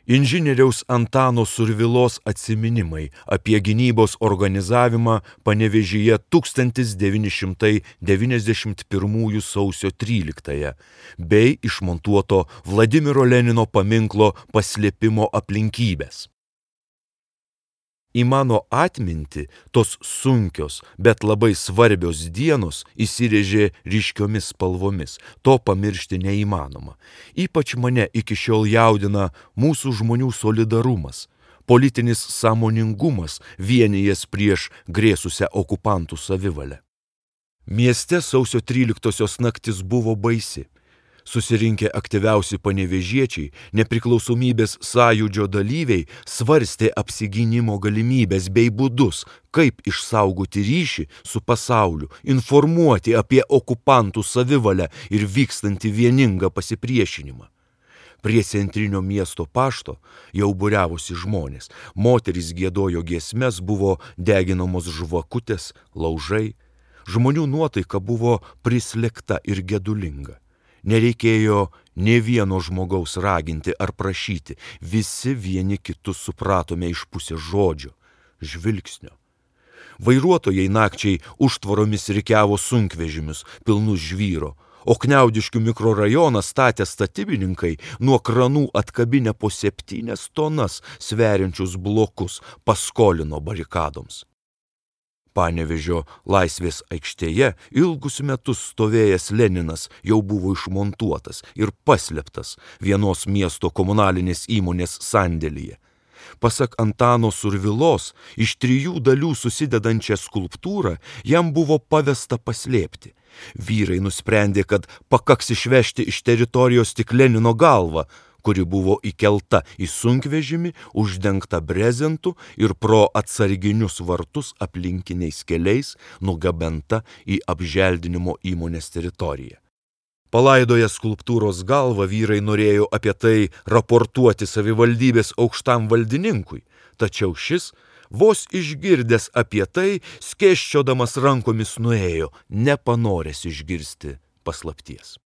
Inžinieriaus Antano Survilos atsiminimai apie gynybos organizavimą Panevėžyje 1991 sausio 13 bei išmontuoto Vladimiro Lenino paminklo paslėpimo aplinkybės. Į mano atmintį tos sunkios, bet labai svarbios dienos įsirėžė ryškiomis spalvomis. To pamiršti neįmanoma. Ypač mane iki šiol jaudina mūsų žmonių solidarumas, politinis sąmoningumas vienijęs prieš grėsusią okupantų savivalę. Mieste sausio 13 naktis buvo baisi. Susirinkę aktyviausi panevėžiečiai, nepriklausomybės sąjūdžio dalyviai svarstė apsigynimo galimybės bei būdus, kaip išsaugoti ryšį su pasauliu, informuoti apie okupantų savivalę ir vykstantį vieningą pasipriešinimą. Prie centrinio miesto pašto jau būriavosi žmonės, moterys giedojo giesmes, buvo deginamos žvakutės, laužai, žmonių nuotaika buvo prislėgta ir gedulinga. Nereikėjo nė vieno žmogaus raginti ar prašyti, visi vieni kitus supratome iš pusės žodžio, žvilgsnio. Vairuotojai nakčiai užtvoromis rikiavo sunkvežimius, pilnus žvyro, o Kniaudiškių mikrorajoną statę statybininkai nuo kranų atkabinę po 7 tonas sveriančius blokus paskolino barikadoms. Panevėžio Laisvės aikštėje ilgus metus stovėjęs Leninas jau buvo išmontuotas ir paslėptas vienos miesto komunalinės įmonės sandėlyje. Pasak Antano Survilos, iš 3 dalių susidedančią skulptūrą jam buvo pavesta paslėpti. Vyrai nusprendė, kad pakaks išvežti iš teritorijos tik Lenino galvą, kuri buvo įkelta į sunkvežimį, uždengta brezentu ir pro atsarginius vartus aplinkiniais keliais nugabenta į apželdinimo įmonės teritoriją. Palaidoję skulptūros galvą, vyrai norėjo apie tai raportuoti savivaldybės aukštam valdininkui, tačiau šis, vos išgirdęs apie tai, skėsčiodamas rankomis nuėjo, nepanoręs išgirsti paslapties.